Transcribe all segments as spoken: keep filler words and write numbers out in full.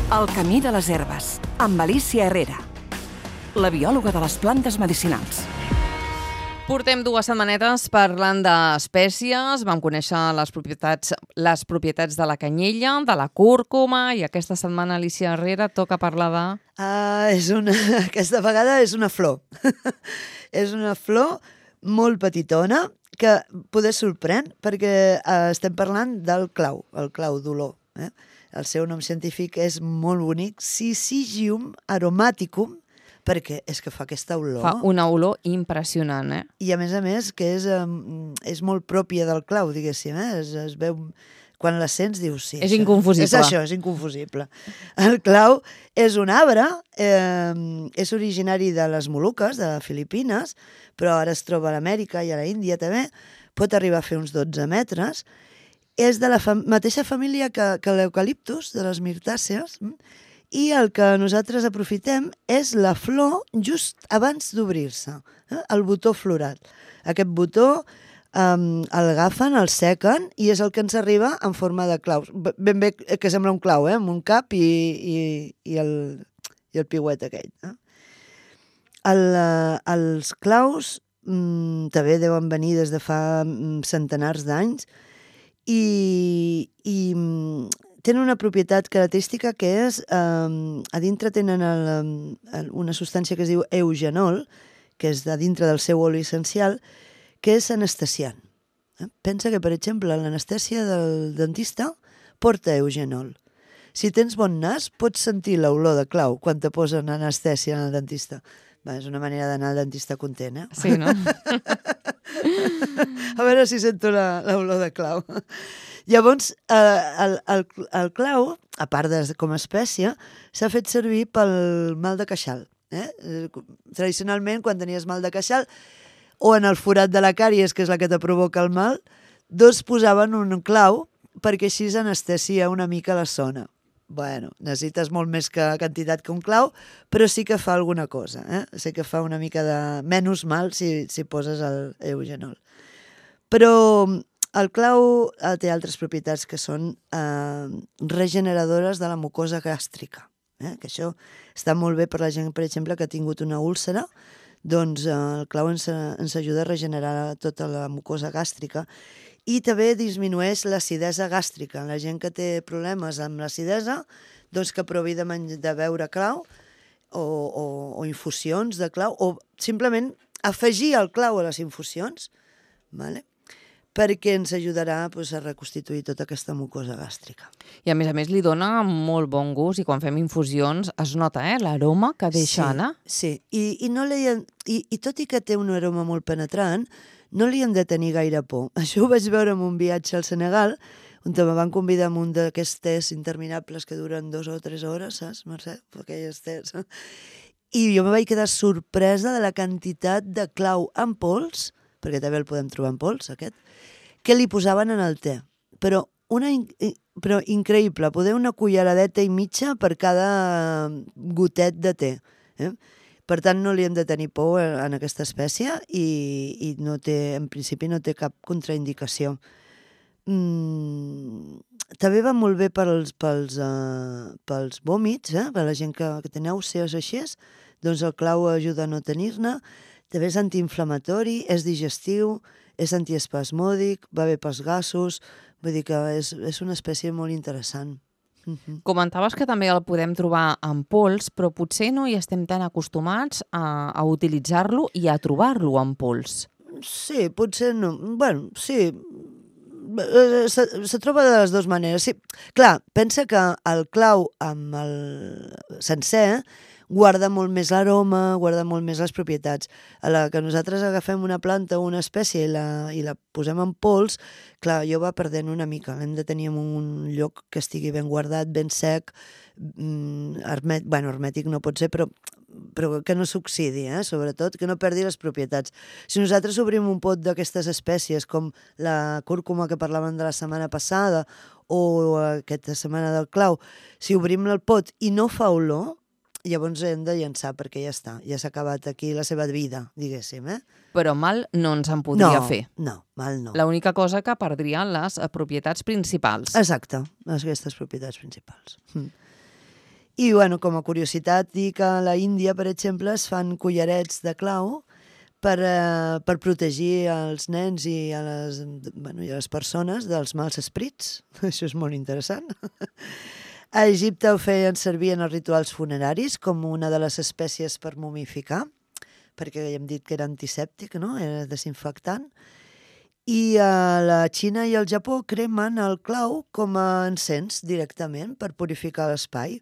El camí de les herbes, amb Alicia Herrera, la biòloga de les plantes medicinals. Portem dues setmanetes parlant d'espècies, vam conèixer les propietats, les propietats de la canyella, de la cúrcuma, i aquesta setmana, Alicia Herrera, toca parlar de... Ah, és una... Aquesta vegada és una flor. És una flor molt petitona que poder sorprèn perquè eh, estem parlant del clau, el clau d'olor. Eh? El seu nom científic és molt bonic, Syzygium aromaticum, perquè és que fa aquesta olor. Fa una olor impressionant, eh? I a més a més que és, um, és molt pròpia del clau, diguéssim, eh? Es, es veu... Quan la sents dius... Sí, és això, inconfusible. És això, és inconfusible. El clau és un arbre, eh, és originari de les Moluques, de Filipines, però ara es troba a l'Amèrica i a la Índia també, pot arribar a fer uns dotze metres, és de la fam mateixa família que, que l'eucaliptus, de les mirtàcies, i el que nosaltres aprofitem és la flor just abans d'obrir-se, eh? El botó florat. Aquest botó um, el agafen, el sequen, i és el que ens arriba en forma de claus. Ben bé que sembla un clau, eh? Amb un cap i, i, i, el, i el piuet aquell. Eh? El, uh, els claus um, també deuen venir des de fa um, centenars d'anys, i, i tenen una propietat característica que és, eh, a dintre tenen el, el, una substància que es diu eugenol, que és de dintre del seu oli essencial, que és anestesiant. Eh? Pensa que, per exemple, l'anestèsia del dentista porta eugenol. Si tens bon nas, pots sentir l'olor de clau quan te posen anestèsia al dentista. Va, és una manera d'anar al dentista content, eh? Sí, no? A veure si sento l'olor de clau. Llavors, eh, el, el, el clau, a part de com a espècie, s'ha fet servir pel mal de queixal. Eh? Tradicionalment, quan tenies mal de queixal, o en el forat de la càries, que és la que te provoca el mal, dos posaven un clau perquè així s'anestesia una mica la zona. Bueno, necessites molt més que quantitat que un clau, però sí que fa alguna cosa. Eh? Sí que fa una mica de menys mal si, si poses el eugenol. Però el clau té altres propietats que són eh, regeneradores de la mucosa gàstrica. Eh? Que això està molt bé per la gent, per exemple, que ha tingut una úlcera, doncs eh, el clau ens, ens ajuda a regenerar tota la mucosa gàstrica. I també disminueix l'acidesa gàstrica. La gent que té problemes amb l'acidesa, doncs que provi de, de beure clau o, o, o infusions de clau, o simplement afegir el clau a les infusions, vale? Perquè ens ajudarà doncs, a reconstituir tota aquesta mucosa gàstrica. I a més a més li dona molt bon gust, i quan fem infusions es nota eh, l'aroma que deixa sí, anar. Sí, I, i, no li, i, i tot i que té un aroma molt penetrant, no li hem de tenir gaire por. Això ho vaig veure en un viatge al Senegal, on me van convidar a un d'aquests tests interminables que duren dues o tres hores, saps, Mercè? Aquelles tests. I jo me vaig quedar sorpresa de la quantitat de clau en pols, perquè també el podem trobar en pols, aquest, que li posaven en el te. Però, una, però increïble, poder una culleradeta i mitja per cada gotet de te. Eh? Per tant, no li hem de tenir por en aquesta espècie i, i no té, en principi no té cap contraindicació. Mm, també va molt bé pels, pels, uh, pels vòmits, eh? Per la gent que, que té nàusees així, doncs el clau ajuda a no tenir-ne. També és antiinflamatori, és digestiu, és antiespasmòdic, va bé pels gasos, vull dir que és, és una espècie molt interessant. Uh-huh. Comentaves que també el podem trobar en pols, però potser no hi estem tan acostumats a, a utilitzar-lo i a trobar-lo en pols. Sí, potser no. Bueno, sí, se, se troba de les dues maneres. Sí. Clar, pensa que el clau amb el sencer guarda molt més l'aroma, guarda molt més les propietats. A la que nosaltres agafem una planta o una espècie i la, i la posem en pols, clar, jo va perdent una mica. L'hem de tenir en un lloc que estigui ben guardat, ben sec, mm, hermètic, bueno, hermètic no pot ser, però, però que no s'oxidi, eh? Sobretot, que no perdi les propietats. Si nosaltres obrim un pot d'aquestes espècies, com la cúrcuma que parlàvem de la setmana passada, o aquesta setmana del clau, si obrim el pot i no fa olor, llavors hem de llançar perquè ja està, ja s'ha acabat aquí la seva vida, diguéssim, eh? Però mal no ens en podria no, fer. No, mal no. L'única cosa que perdrien les propietats principals. Exacte, aquestes propietats principals. Mm. I, bueno, com a curiositat, dir que a la Índia, per exemple, es fan collarets de clau per, eh, per protegir els nens i a les, bueno, i a les persones dels mals esprits. Això és molt interessant. A Egipte ho feien servir en els rituals funeraris com una de les espècies per momificar, perquè ja hem dit que era antisèptic, no? Era desinfectant. I a la Xina i al Japó cremen el clau com a encens directament per purificar l'espai,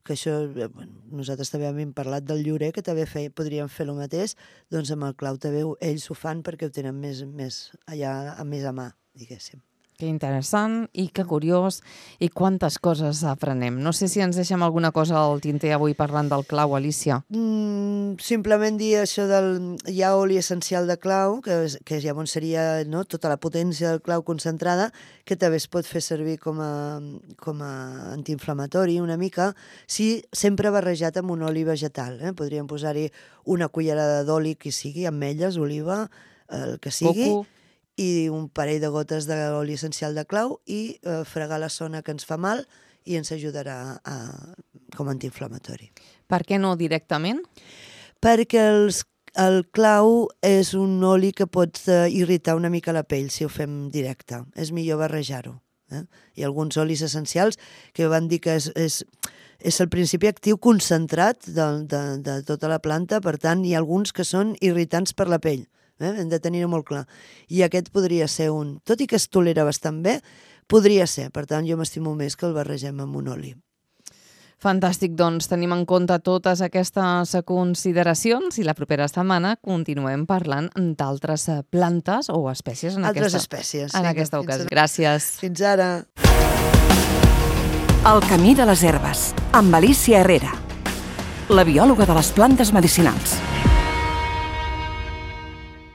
que això, bueno, nosaltres també hem parlat del llorer, que també fe, podríem fer el mateix, doncs amb el clau també ells ho fan perquè ho tenen més, més allà, més a mà, diguéssim. Que interessant i que curiós i quantes coses aprenem. No sé si ens deixem alguna cosa al tinter avui parlant del clau, Alicia. Mm, simplement dir això del... Hi ha oli essencial de clau, que, és, que llavors seria, no, tota la potència del clau concentrada, que també es pot fer servir com a, com a antiinflamatori una mica, si sempre barrejat amb un oli vegetal. Eh? Podríem posar-hi una cullerada d'oli que sigui, ametlles, oliva, el que sigui, Coco, i un parell de gotes d'oli essencial de clau i eh, fregar la zona que ens fa mal i ens ajudarà a, com a antiinflamatori. per què no directament? Perquè els, el clau és un oli que pot eh, irritar una mica la pell si ho fem directe. És millor barrejar-ho. Eh? Hi ha alguns olis essencials que van dir que és, és, és el principi actiu concentrat de, de, de tota la planta, per tant, hi ha alguns que són irritants per la pell. Eh? Hem de tenir-ho molt clar. I aquest podria ser un... Tot i que es tolera bastant bé, podria ser. Per tant, jo m'estimo més que el barregem amb un oli. Fantàstic, doncs tenim en compte totes aquestes consideracions i la propera setmana continuem parlant d'altres plantes o espècies en Altres aquesta, espècies. en Sí, aquesta fins ocasió. ara. Gràcies. Fins ara. El camí de les herbes, amb Alicia Herrera, la biòloga de les plantes medicinals.